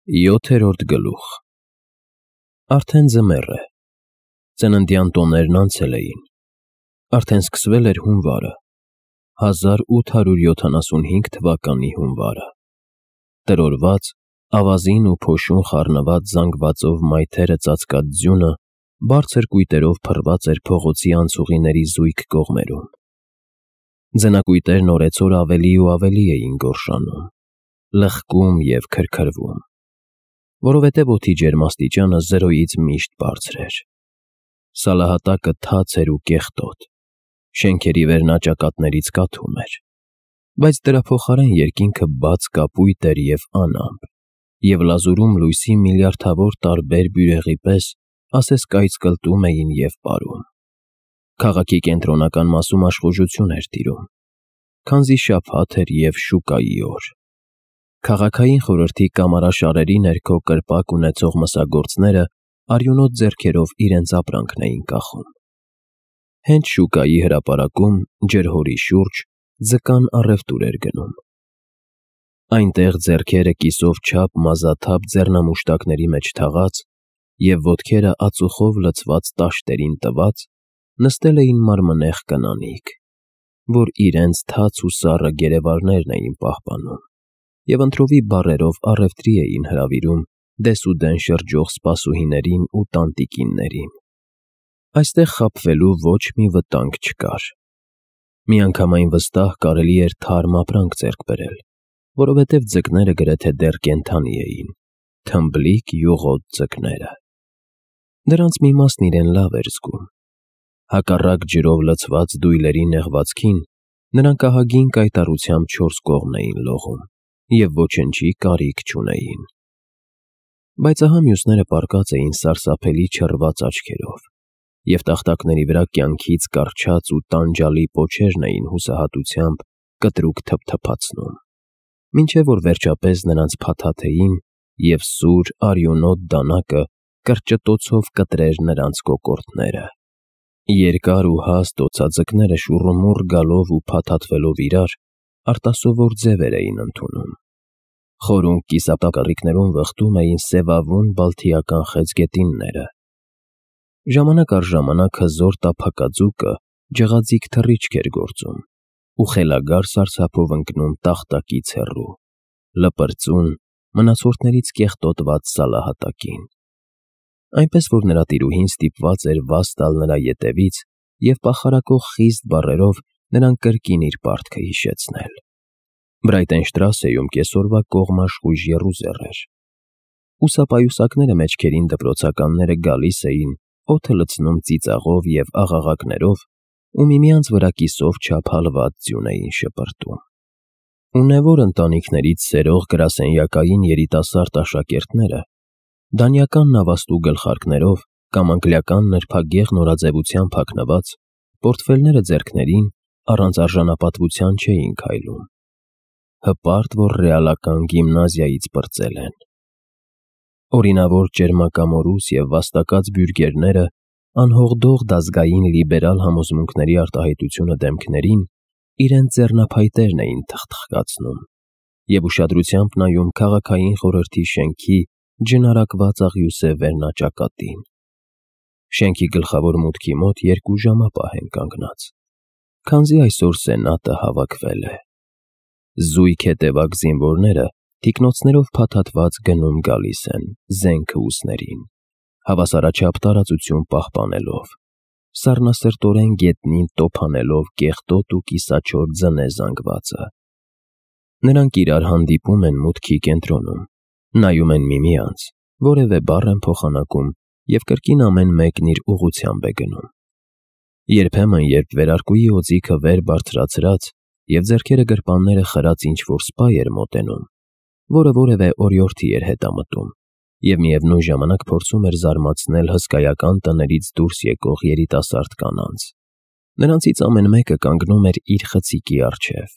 7-րդ գլուխ։ Արդեն ձմեռ է։ Ծննդյան տոներն անցել էին։ Արդեն սկսվել էր հունվարը, 1875 թվականի հունվարը։ Տրորված, ավազին ու փոշուն խառնված զանգվածով մայթերը ծածկած ձյունը բարձր կույտերով փռված էր փողոցի անցուղիների զույգ կողմերում։ Ձնակույտերն օրեցօր ավելի ու ավելի էին գորշանում, լխկում և քրքրվում, որովհետև օդի ջերմաստիճանը 0-ից միշտ բարձր էր։ Սալահատակը թաց էր ու կեղտոտ, շենքերի վերնաճակատներից կաթում էր, բայց դրա փոխարեն երկինքը բաց կապույտ էր և անամպ, և լազուրում լույսի միլիարդավոր տարբեր բյուրեղի պես ասես կայծկլտում էին և պարում։ Քաղաքի կենտրոնական մասում աշխուժություն էր տիրում, քանզի շաբաթ էր և շուկայի օր։ Քաղաքային խորհրդի կամարաշարերի ներքո կրպակ ունեցող մսագործները արյունոտ ձեռքերով իրենց ապրանքն էին կախում։ Հենց շուկայի հրապարակում, ջրհորի շուրջ, ձկան առևտուր էր գնում։ Այնտեղ ձեռքերը կիսով չափ մազաթափ ձեռնամուշտակների մեջ թաղած և ոտքերը ածուխով լցված տաշտերին տված, նստել էին մարմնեղ կանանիք, որ իրենց թաց ու սառը գերեվարներն էին պահպանում և ընտրովի բառերով առևտրի էին հրավիրում դեսուդեն շրջող սպասուհիներին ու տանտիկիններին։ Այստեղ խաբվելու ոչ մի վտանգ չկար։ Միանգամայն վստահ կարելի էր թարմ ապրանք ձեռք բերել, որովհետև ձկները գրեթե դեռ կենդանի էին, թմբլիկ յուղոտ ձկները։ Դրանց մի մասն իրեն լավ էր զգում։ Հակառակ ջրով լցված դույլերի նեղվածքին, նրանք ահագին կայտառությամբ չորս կողմն էին լողում և ոչնչի կարիք չունեին։ Բայց ահա մյուսները պառկած էին սարսափելի չռված աչքերով, և տախտակների վրա կյանքից կառչած ու տանջալի պոչերն էին հուսահատությամբ կտրուկ թփթփացնում, մինչև որ վերջապես նրանց փաթաթեին, և սուր, արյունոտ դանակը կրճտոցով կտրեր նրանց կոկորդները։ Երկար ու հաստ օձաձկները շուռումուռ գալով ու փաթաթվելով իրար, արտասովոր ձևեր էին ընդունում։ Խորունկ կիսատակառիկներում վխտում էին սևավուն բալթիական խեցգետինները։ Ժամանակ առ ժամանակ հզոր տափակաձուկը ջղաձիգ թռիչք էր գործում ու խելագար սարսափով ընկնում տախտակից հեռու, լպրծուն, մնացորդներից կեղտոտված սալահատակին։ Այնպես որ նրա տիրուհին ստիպված էր վազ տալ նրա ետևից և պախարակող խիստ բառերով նրան կրկին իր պարտքը հիշեցնել։ Բրայտենշտրասեում կեսօրվա կողմաշխույժ եռուզեռ էր։ Ուսապայուսակները մեջքերին դպրոցականները գալիս էին, օդը լցնում ծիծաղով և աղաղակներով ու միմյանց վրա կիսով չափ հալված ձյուն էին շպրտում։ Ունևոր ընտանիքներից սերող գրասենյակային երիտասարդ աշակերտները, դանիական նավաստու գլխարկներով կամ անգլիական նրբագեղ նորաձևությամբ հագնված, պորտֆելները ձեռքներին, առանց արժանապատվության չէին քայլում։ Հպարտ, որ ռեալական գիմնազիայից պրծել են։ Օրինավոր ճերմակամորուս և վաստակած բյուրգերները անհողդող դազգային լիբերալ համոզմունքների արտահայտությունը դեմքներին իրենց ձեռնափայտերն էին թխթխկացնում և ուշադրությամբ նայում քաղաքային խորհրդի շենքի ջնարակված աղյուսե վերնաճակատին։ Շենքի գլխավոր մուտքի մոտ 2 ժամապահ են կանգնած, քանզի այսօր սենատը հավաքվել է։ Զույգ հետևակ զինվորները թիկնոցներով փաթաթված գնում-գալիս են, զենքը ուսներին, հավասարաչափ տարածություն պահպանելով, սառնասրտորեն գետնին տոփ անելով կեղտոտ ու կիսաչոր ձնե զանգվածը։ Նրանք իրար հանդիպում են մուտքի կենտրոնում, նայում են միմյանց, որևէ բառ են փոխանակում և կրկին ամեն մեկն իր ուղղությամբ է գնում։ Երբեմն, երբ վերարկուի օձիքը վեր բարձրացրած և ձեռքերը գրպանները խրած ինչ-որ սպա էր մոտենում, որը որևէ օրիորդի էր հետամտում և միևնույն ժամանակ փորձում էր զարմացնել հսկայական տներից դուրս եկող երիտասարդ կանանց, նրանցից ամեն մեկը կանգնում էր իր խցիկի առջև,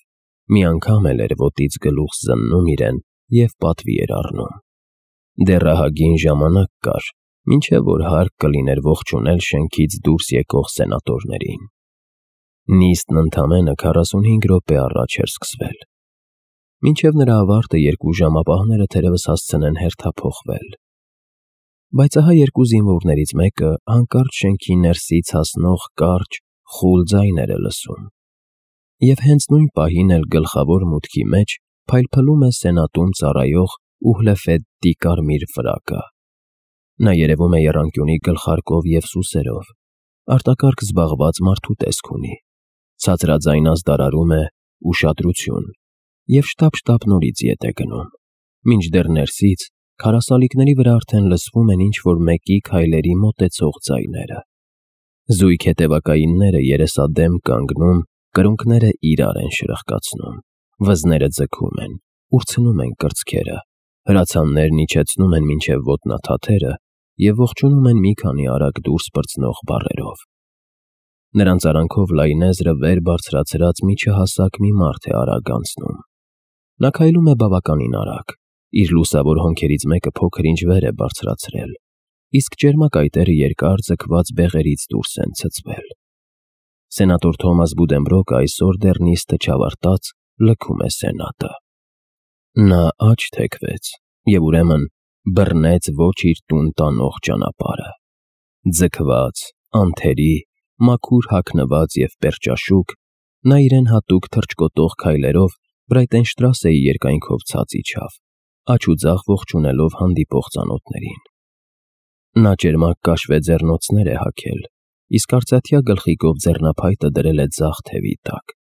մի անգամ էլ էր ոտից գլուխ զննում իրեն և պատվի էր առնում։ Դեռ ահագին ժամանակ կար, մինչև որ հարկ կլիներ ողջունել շենքից դուրս եկող սենատորներին։ Նիստն ընդամենը 45 րոպե առաջ էր սկսվել։ Մինչև նրա ավարտը 2 ժամապահները թերևս հասցնեն հերթափոխվել։ Բայց ահա 2 զինվորներից մեկը հանկարծ շենքի ներսից հասնող կարճ, խուլ ձայներ է լսում։ Եվ հենց նույն պահին էլ գլխավոր մուտքի մեջ փայլփլում է սենատում ծառայող Ուհլեֆեդտի կարմիր ֆրակը։ Նա երևում է եռանկյունի գլխարկով և սուսերով, արտակարգ զբաղված մարդու տեսք ունի, ցածրաձայն ազդարարում է ուշադրություն և շտապ-շտապ նորից ետ է գնում, մինչդեռ ներսից քարասալիկների վրա արդեն լսվում են ինչ-որ մեկի քայլերի մոտեցող ձայները։ Զույգ հետևակայինները երեսադեմ կանգնում, կրունկները իրար են շրխկացնում, վզները ձգում են, ուրցնում են կրծքերը, հրացաններն իջեցնում են մինչև ոտնաթաթերը և ողջունում են մի քանի արագ դուրս պրծնող բառերով։ Նրանց արանքով լայնեզրը վեր բարձրացրած միջահասակ մի մարդ է արագ անցնում։ Նա քայլում է բավականին արագ, իր լուսավոր հոնքերից մեկը փոքր-ինչ վեր է բարձրացրել, իսկ ճերմակայտերը երկար ձգված բեղերից դուրս են ցցվել։ Սենատոր Թոմաս Բուդենբրոկը այսօր դեռ նիստը չավարտած լքում է Սենատը։ Նա աջ թեքվեց և ուրեմն բռնեց ոչ իր տուն տանող ճանապարհը։ Ձգված, անթերի, մաքուր հագնված և պերճաշուք, նա իրեն հատուկ թռչկոտող քայլերով Բրայտենշտրասեի երկայնքով ցած իջավ, աջ ու ձախ ողջունելով հանդիպող ծանոթներին։ Նա ճերմակ կաշվե ձեռնոցներ է հագել, իսկ արծաթյա գլխիկով ձեռնափայտը դրել է ձախ թևի տակ։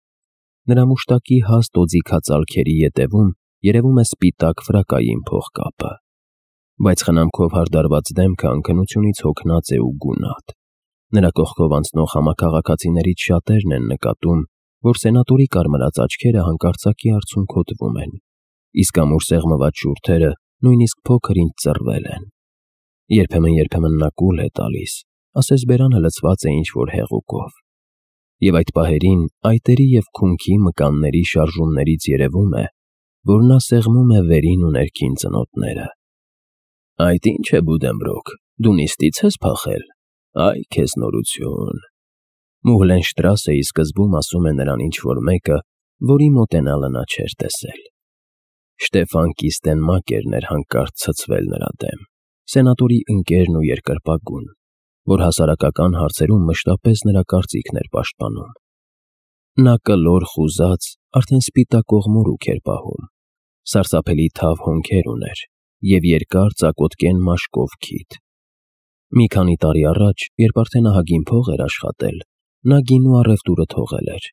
Նրա մուշտակի հաստ օձիքածալքերի ետևում երևում է սպիտակ ֆրակային փողկապը, բայց խնամքով հարդարված դեմքը անքնությունից հոգնած է ու գունատ։ Նրա կողքով անցնող համաքաղաքացիներից շատերն են նկատում, որ սենատորի կարմրած աչքերը հանկարծակի արցունքոտվում են, իսկ ամուր սեղմված շուրթերը նույնիսկ փոքր-ինչ ծռվել են։ Երբեմն նա կուլ է տալիս, ասես բերանը լցված է ինչ-որ հեղուկով։ Եվ այդ պահերին այտերի և քունքի մկանների շարժումներից երևում է, որ նա սեղմում է վերին ու ներքին ծնոտները։ Այդ ի՞նչ է, Բուդենբրոկ, դու նիստից ես փախել։ Այ քեզ նորություն։ Մուհլենշտրասեի սկզբում ասում է նրան ինչ-որ մեկը, որի մոտենալը նա չէր տեսել։ Շտեֆան Կիստենմակերն էր հանկարծ ցցվել նրա դեմ, սենատորի ընկերն ու երկրպագուն, որ հասարակական հարցերում մշտապես նրա կարծիքն էր պաշտպանում։ Նա կլոր խուզած, արդեն սպիտակող մորուք էր պահում, սարսափելի թավ հոնքեր ուներ և երկար ծակոտկեն մաշկով քիթ։ Մի քանի տարի առաջ, երբ արդեն ահագին փող էր աշխատել, նա գինու առևտուրը թողել էր։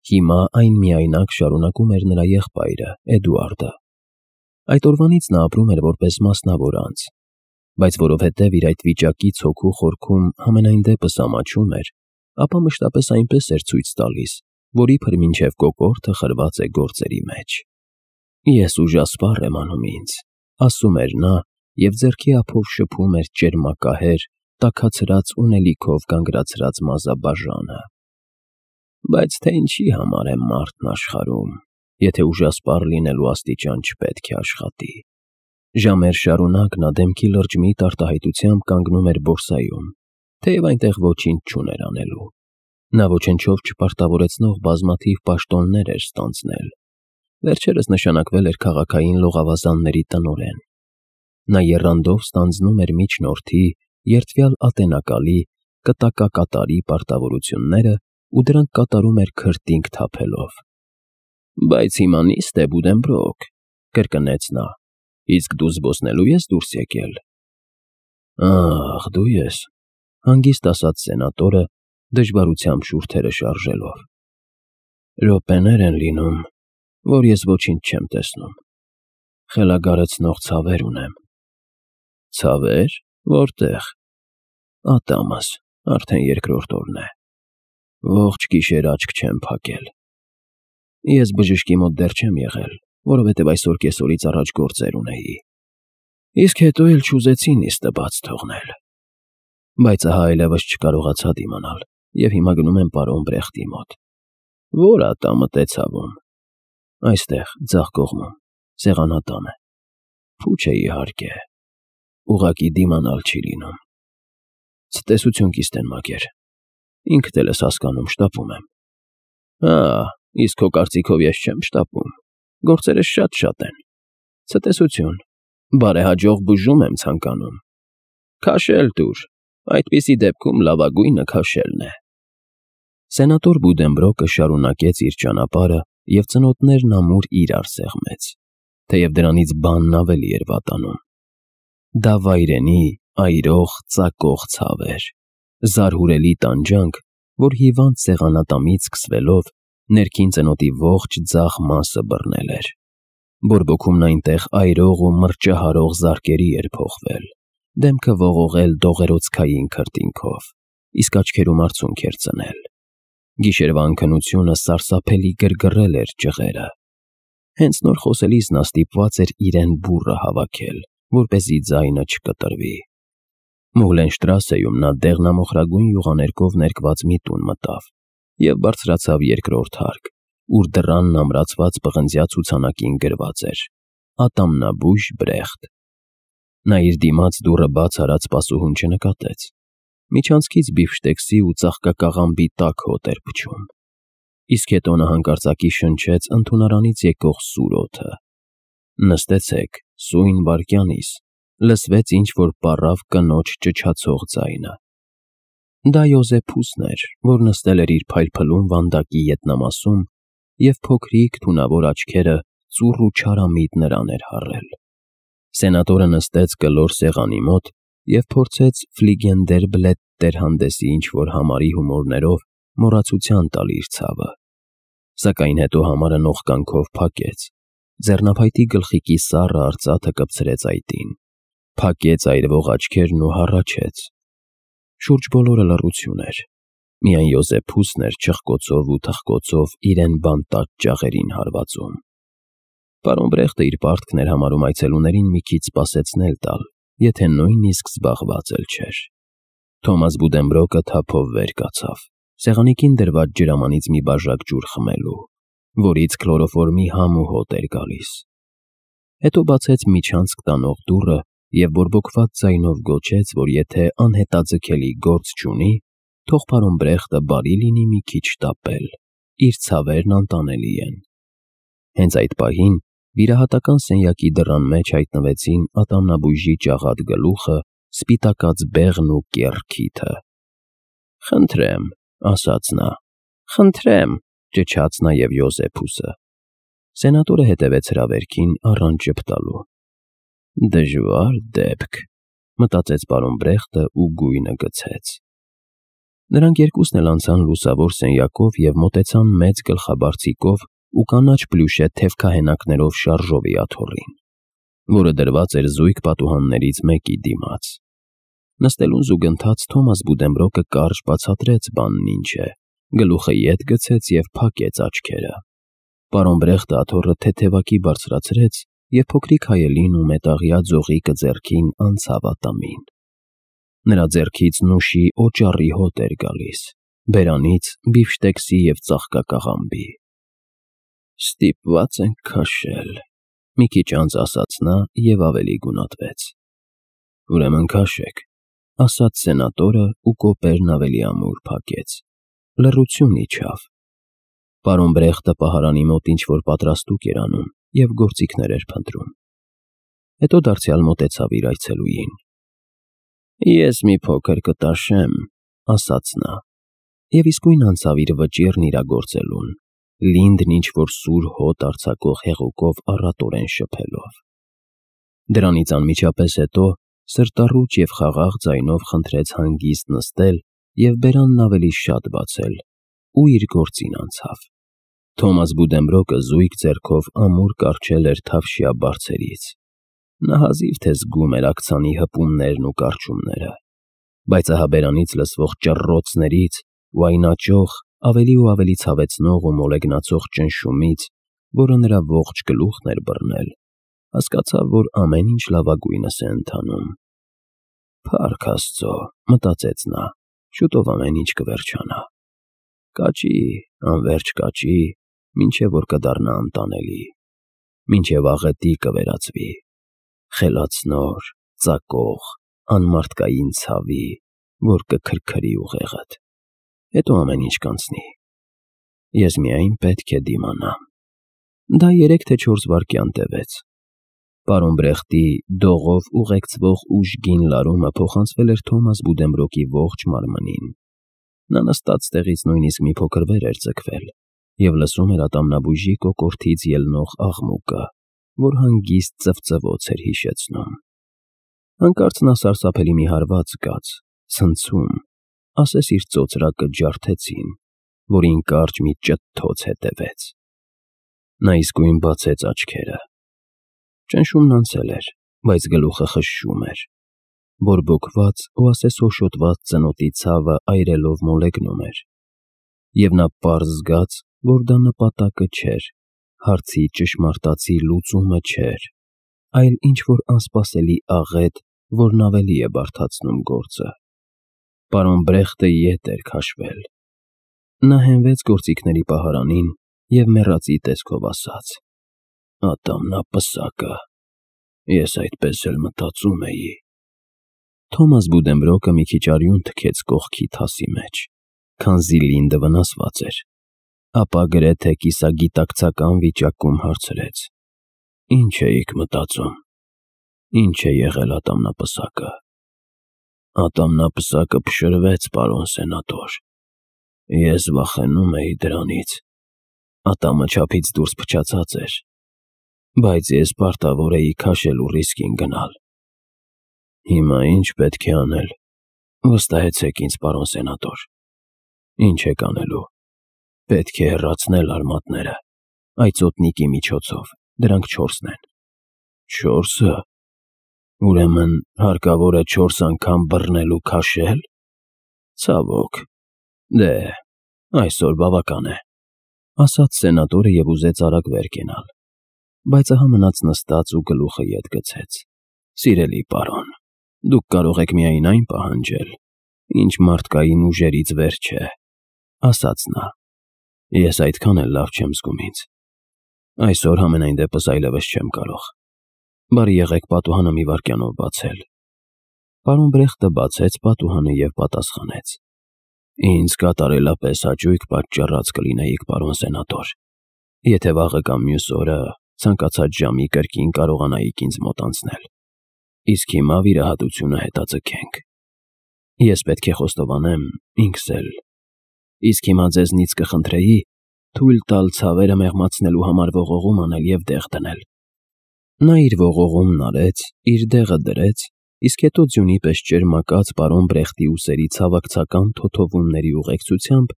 Հիմա այն միայնակ շարունակում էր նրա եղբայրը՝ Էդուարդը։ Այդ օրվանից նա ապրում էր որպես մասնավոր անձ, բայց որովհետև իր այդ վիճակից հոգու խորքում համենայն դեպս ամաչում էր, ապա մշտապես այնպես էր ցույց տալիս, որ իբր մինչև կոկորդը խրված է գործերի մեջ։ Ես ուժասպառ եմ անում ինձ, ասում էր նա և ձեռքի ափով շփում էր ճերմակահեր, տաքացրած ունելիքով կանգրացրած մազաբաժանը։ Բայց թե ինչի համար է մարդն աշխարհում, եթե ուժասպառ լինելու աստիճան չպետք է աշխատի։ Ժամեր շարունակ նա դեմքի լրջմիտ արտահայտությամբ կանգնում էր բորսայում, թեև այնտեղ ոչինչ չուներ անելու։ Նա ոչնչով չպարտավորեցնող բազմաթիվ պաշտոններ էր ստանձնել։ Վերջերս նշանակվել էր քաղաքային լողավազանների տնօրեն։ Նա եռանդով ստանձնում էր միջնորդի, երդվյալ ատենակալի, կտակակատարի պարտավորությունները ու դրանք կատարում էր քրտինք թափելով։ Բայց հիմա նիստ է, Բուդենբրոկ, կրկնեց նա, իսկ դու զբոսնելու ես դուրս եկել։ Ահ, դու ես, հանգիստ ասաց սենատորը, դժվարությամբ շուրթերը շարժելով։ Րոպեներ են լինում, որ ես ոչինչ չեմ տեսնում։ Խելագարեցնող ցավեր ունեմ։ Ցավեր, որտեղ։ Ատամս, արդեն երկրորդ օրն է։ Ողջ գիշեր աչք չեմ փակել։ Ես բժշկի մոտ դեռ չեմ եղել, որովհետև այսօր կեսօրից առաջ գործեր ունեի։ Իսկ հետո էլ չուզեցի նիստը բաց թողնել։ Բայց ահա այլևս չկարողացա դիմանալ և հիմա գնում եմ պարոն Բրեխտի մոտ։ Ո՞ր ատամդ է ցավում։ Այստեղ, ձախ կողմում, սեղանատանը։ Փուչ է իհարկե։ Ուղղակի դիմանալ չի լինում։ Ցտեսություն, Կիստենմակեր։ Ինքդ էլ ես հասկանում, շտապում եմ։ Իսկ քո կարծիքով ես չեմ շտապում։ Գործերս շատ են։ Ցտեսություն, բարեհաջող բուժում եմ ցանկանում։ Քաշել տուր, այդպիսի դեպքում լավագույնը քաշելն է։ Սենատոր Բուդենբրոկը շարունակեց իր ճանապարհը և ծնոտներն ամուր իրար սեղմեց, թեև դրանից բանն ավելի էր վատանում։ Դա վայրենի, այրող, ծակող ցավ էր, զարհուրելի տանջանք, որ հիվանդ սեղանատամից սկսվելով ներքին ծնոտի ողջ ձախ մասը բռնել էր։ Բորբոքումն այնտեղ այրող ու մռճահարող զարկերի էր փոխվել, դեմքը ողողել դողերոցքային քրտինքով, իսկ աչքերում արցունք էր ծնել։ Գիշերվա անքնությունը սարսափելի գրգռել էր ճղերը։ Հենց նոր խոսելիս նա ստիպված էր իրեն բուռը հավաքել, որպեսզի ձայնը չկտրվի։ Մուղլենշտրասեում նա դեղնամոխրագույն յուղաներկով ներկված մի տուն մտավ և բարձրացավ երկրորդ հարկ, ուր դռանն ամրացված պղնձյա ցուցանակին գրված էր. «Ատամնաբույժ Բրեխտ»։ Նա իր դիմաց դուռը բաց արած սպասուհուն չնկատեց։ Միջանցքից բիֆշտեքսի ու ծաղկակաղամբի տաք հոտ էր փչում։ Իսկ հետո նա հանկարծակի շնչեց ընդունարանից եկող սուր օդը։ «Նստեցեք, սույն վայրկյանիս», լսվեց ինչ-որ պառավ կնոջ ճչացող ձայնը։ Դա Յոզեփուսն էր, որ նստել էր իր փայլփլուն վանդակի ետնամասում և փոքրիկ թունավոր աչքերը ծուռ ու չարամիտ նրան էր հառել։ Սենատորը նստեց կլոր սեղանի մոտ և փորձեց Ֆլիգենդերբլետտեր հանդեսի ինչ-որ համարի հումորներով մոռացության տալ իր ցավը։ Սակայն հետո համարը նողկանքով փակեց, ձեռնափայտի գլխիկի սառը արծաթը կպցրեց այտին, փակեց այրվող աչքերն ու հառաչեց։ Շուրջ բոլորը լռություն էր։ Միայն Յոզեփուսն էր չխկոցով ու թխկոցով իրեն բանտած ճաղերին հարվածում։ Պարոն Բրեխտը իր պարտքն էր համարում այցելուներին մի քիչ սպասեցնել տալ, եթե նույնիսկ զբաղված էլ չէր։ Թոմաս Բուդենբրոկը թափով վեր կացավ, սեղանիկին դրված ջրամանից մի բաժակ ջուր խմելու, որից քլորոֆորմի համ ու հոտ էր գալիս։ Հետո բացեց միջանցք տանող դուռը և բորբոքված ձայնով գոչեց, որ եթե անհետաձգելի գործ չունի, թող պարոն Բրեխտը բարի լինի մի քիչ շտապել, իր ցավերն անտանելի են։ Հենց այդ պահին վիրահատական սենյակի դռան մեջ հայտնվեցին ատամնաբույժի ճաղատ գլուխը, սպիտակած բեղն ու կեռ քիթը։ «Խնդրեմ», ասաց նա, «խնդրեմ», ճչաց նաև Յոզեփուսը։ Սենատորը հետևեց հրավերքին առանց ժպտալու։ «Դժվար դեպք», մտածեց պարոն Բրեխտը ու գույնը գցեց։ Նրանք երկուսն էլ անցան լուսավոր սենյակով և մոտեցան մեծ գլխաբարձիկով ու կանաչ պլյուշե թևքահենակներով շարժովի աթոռին, որը դրված էր զույգ պատուհաններից մեկի դիմաց։ Նստելուն զուգընթաց Թոմաս Բուդենբրոկը կարճ բացատրեց բանն ինչ է, գլուխը ետ գցեց և փակեց աչքերը։ Պարոն Բրեխտը աթոռը թեթևակի բարձրացրեց և փոքրիկ հայելին ու մետաղյա ձողիկը ձեռքին անցավ ատամին։ Նրա ձեռքից նուշի օճառի հոտ էր գալիս, բերանից բիֆշտեքսի և ծաղկակաղամբի։ «Ստիպված ենք քաշել», մի քիչ անց ասաց նա և ավելի գունատվեց։ «Ուրեմն քաշեք», ասաց սենատորը ու կոպերն ավելի ամուր փակեց։ Լռություն իջավ։ Պարոն Բրեխտը պահարանի մոտ ինչ-որ պատրաստուկ էր անում և գործիքներ էր փնտրում։ Հետո դարձյալ մոտեցավ իր այցելուին։ «Ես մի փոքր կտաշեմ», ասաց նա, և իսկույն անցավ իր վճիռն իրագործելուն, լինդն ինչ-որ սուր հոտ արձակող հեղուկով առատորեն շփելով։ Դրանից անմիջապես հետո սրտառուչ և խաղաղ ձայնով խնդրեց հանգիստ նստել և բերանն ավելի շատ բացել ու իր գործին անցավ։ Թոմաս Բուդենբրոկը զույգ ձեռքով ամուր կառչել էր թավշյա բարձերից։ Նա հազիվ թե զգում էր աքցանի հպումներն ու կառչումները, բայց ահա բերանից լսվող ճռռոցներից ու այն աճող, ավելի ու ավելի ցավեցնող ու մոլեգնացող ճնշումից, որը նրա ողջ գլուխն էր բռնել, հասկացավ, որ ամեն ինչ լավագույնս է ընթանում։ «Փառք Աստծո», մտածեց նա, շուտով ամեն ինչ կվերջանա։ Կաճի, անվերջ կաճի, մինչև որ կդառնա անտանելի, մինչև աղետի կվերածվի, խելացնոր, ծակող, անմարդկային ցավի, որ կքրքրի ուղեղդ։ Հետո ամեն ինչ կանցնի։ Ես միայն պետք է դիմանամ։ Դա 3 թե 4 վայրկյան տևեց։ Պարոն Բրեխտի դողով ուղեկցվող ուժգին լարումը փոխանցվել էր Թոմաս Բուդենբրոկի ողջ մարմնին։ Նա նստած տեղից նույնիսկ մի փոքր վեր էր ձգվել և լսում էր ատամնաբույժի կոկորդից ելնող աղմուկը, որ հանգիստ ծվծվոց էր հիշեցնում։ Հանկարծ նա սարսափելի մի հարված զգաց, ցնցում, ասես իր ծոծրակը ջարդեցին, որին կարճ մի ճթթոց հետևեց։ Նա իսկույն բացեց աչքերը։ Ճնշումն անցել էր, բայց գլուխը խշշում էր։ Բորբոքված ու ասես հոշոտված ծնոտի ցավը այրելով մոլեգնում էր։ Եվ նա պարզ զգաց, որ դա նպատակը չէր, հարցի ճշմարտացի լուծումը չէր, այլ ինչ-որ անսպասելի աղետ, որն ավելի է բարդացնում գործը։ Պարոն Բրեխտը ետ էր քաշվել։ Նա հենվեց գործիքների պահարանին և մեռածի տեսքով ասաց. «Ատամնապսակը, ես այդպես էլ մտածում էի»։ Թոմաս Բուդենբրոկը մի քիչ արյուն թքեց կողքի թասի մեջ, քանզի Լինդը վնասված էր, ապա գրեթե կիսագիտակցական վիճակում հարցրեց. «Ինչ էիք մտածում, ինչ է եղել ատամնապսակը»։ «Ատամնապսակը փշրվեց, պարոն սենատոր։ Ես վախենում էի դրանից, ատամը չափից դուրս փչացած էր, բայց ես պարտավոր էի քաշել ու ռիսկին գնալ։ Հիմա ինչ պետք է անել, վստահեցեք ինձ, պարոն սենատոր։ Ինչ եք անելու։ Պետք է հեռացնել արմատները, այծոտնիկի միջոցով, դրանք 4-ն են»։ 4-ը։ Ուրեմն հարկավոր է 4 անգամ բռնել ու քաշել։ Ցավոք, դե, այսօր բավական է, ասաց սենատորը և ուզեց արագ վեր կենալ, բայց ահա մնաց նստած ու գլուխը ետ գցեց։ «Սիրելի պարոն, դուք կարող եք միայն այն պահանջել, ինչ մարդկային ուժերից վեր չէ», ասաց նա։ «Ես այդքան էլ լավ չեմ զգում ինձ։ Այսօր համենայն դեպս այլևս չեմ կարող։ Բարի եղեք պատուհանը մի վայրկյանով բացել»։ Պարոն Բրեխտը բացեց պատուհանը և պատասխանեց. «Ինձ կատարելապես հաճույք պատճառած կլինեիք, պարոն սենատոր, եթե վաղը կամ մյուս օրը ցանկացած ժամի կրկին կարողանայիք ինձ մոտ անցնել։ Իսկ հիմա վիրահատությունը հետաձգենք։ Ես պետք է խոստովանեմ ինքս էլ։ Իսկ հիմա ձեզնից կխնդրեի թույլ տալ ցավերը մեղմացնելու համար ողողում անել և դեղ դնել»։ Նա իր ողողումն արեց, իր դեղը դրեց, իսկ հետո ձյունի պես ճերմակած պարոն Բրեխտի ուսերի ցավակցական թոթովումների ուղեկցությամբ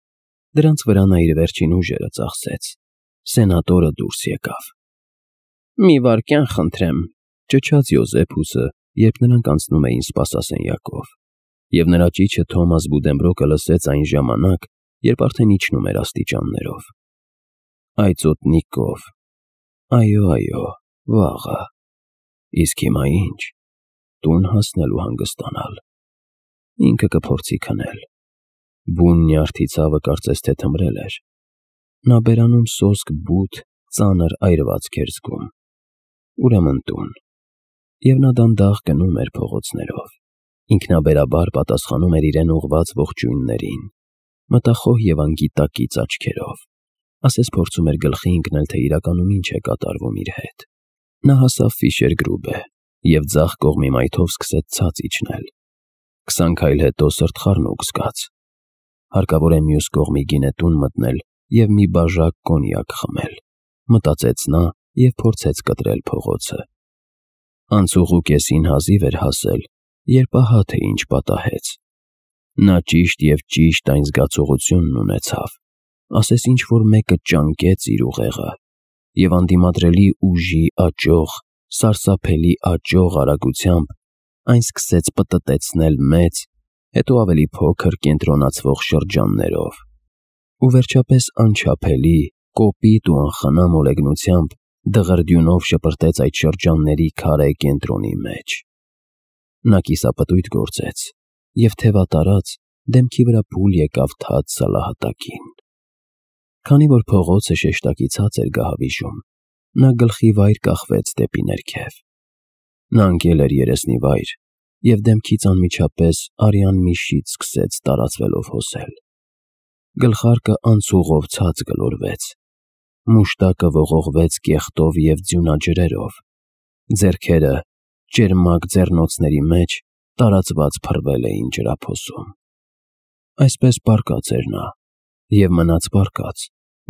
դրանց վրա նա իր վերջին ուժերը ծախսեց։ Սենատորը դուրս եկավ։ «Մի վայրկյան խնդրեմ», ճչաց Յոզեփուսը, երբ նրանք անցնում էին սպասասենյակով, և նրա ճիչը Թոմաս Բուդենբրոկը լսեց այն ժամանակ, երբ արդեն իջնում էր աստիճաններով։ «Այծոտնիկով, այո, վաղը։ Իսկ հիմա ինչ, տուն հասնել ու հանգստանալ։ Ինքը կփորձի քնել»։ Բուն նյարդի ցավը կարծես թե թմրել էր։ Նա բերանում սոսկ բութ, ծանր այրվածք էր զգում։ Ուրեմն տուն։ Եվ նա դանդաղ գնում էր փողոցներով, ինքնաբերաբար պատասխանում էր իրեն ուղղված ողջույններին, մտախոհ և անգիտակից աչքերով, ասես փորձում էր գլխի ընկնել, թե իրականում ինչ է կատարվում իր հետ։ Նա հասավ Ֆիշերգրուբե և ձախ կողմի մայթով սկսեց ցած իջնել։ 20 քայլ հետո սրտխառնոք զգաց։ Հարկավոր է մյուս կողմի գինետուն մտնել և մի բաժակ կոնյակ խմել, մտածեց նա և փորձեց կտրել փողոցը։ Անցուղու կեսին հազիվ էր հասել, երբ ահա թե ինչ պատահեց։ Նա ճիշտ և ճիշտ այն զգացողությունն ունեցավ, ասես ինչ-որ մեկը ճանկեց իր ուղեղը, և անդիմադրելի ուժի աճող, սարսափելի աճող արագությամբ այն սկսեց պտտեցնել մեծ, հետո ավելի փոքր կենտրոնացվող շրջաններով, ու վերջապես անչափելի, կոպիտ ու անխնա մոլեգնությամբ դղրդյունով շպրտեց այդ շրջանների քարե կենտրոնի մեջ։ Նա կիսապտույտ գործեց և թևատարած դեմքի վրա փուլ եկավ թաց սալահատակին։ Քանի որ փողոցը շեշտակի ցած էր գահավիժում, նա գլխի վայր կախվեց դեպի ներքև։ Նա ընկել էր երեսնի վայր և դեմքից անմիջապես արյան մի շիթ սկսեց տարածվելով հոսել։ Գլխարկը անցուղով ցած գլորվեց, Մուշտակը ողողվեց կեղտով և ձյունաջրերով, ձեռքերը ճերմակ ձեռնոցների մեջ տարածված փռվել էին ջրափոսում։ Այսպես պառկած էր նա և մնաց պառկած,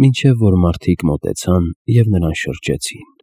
մինչև որ մարդիկ մոտեցան և նրան շրջեցին։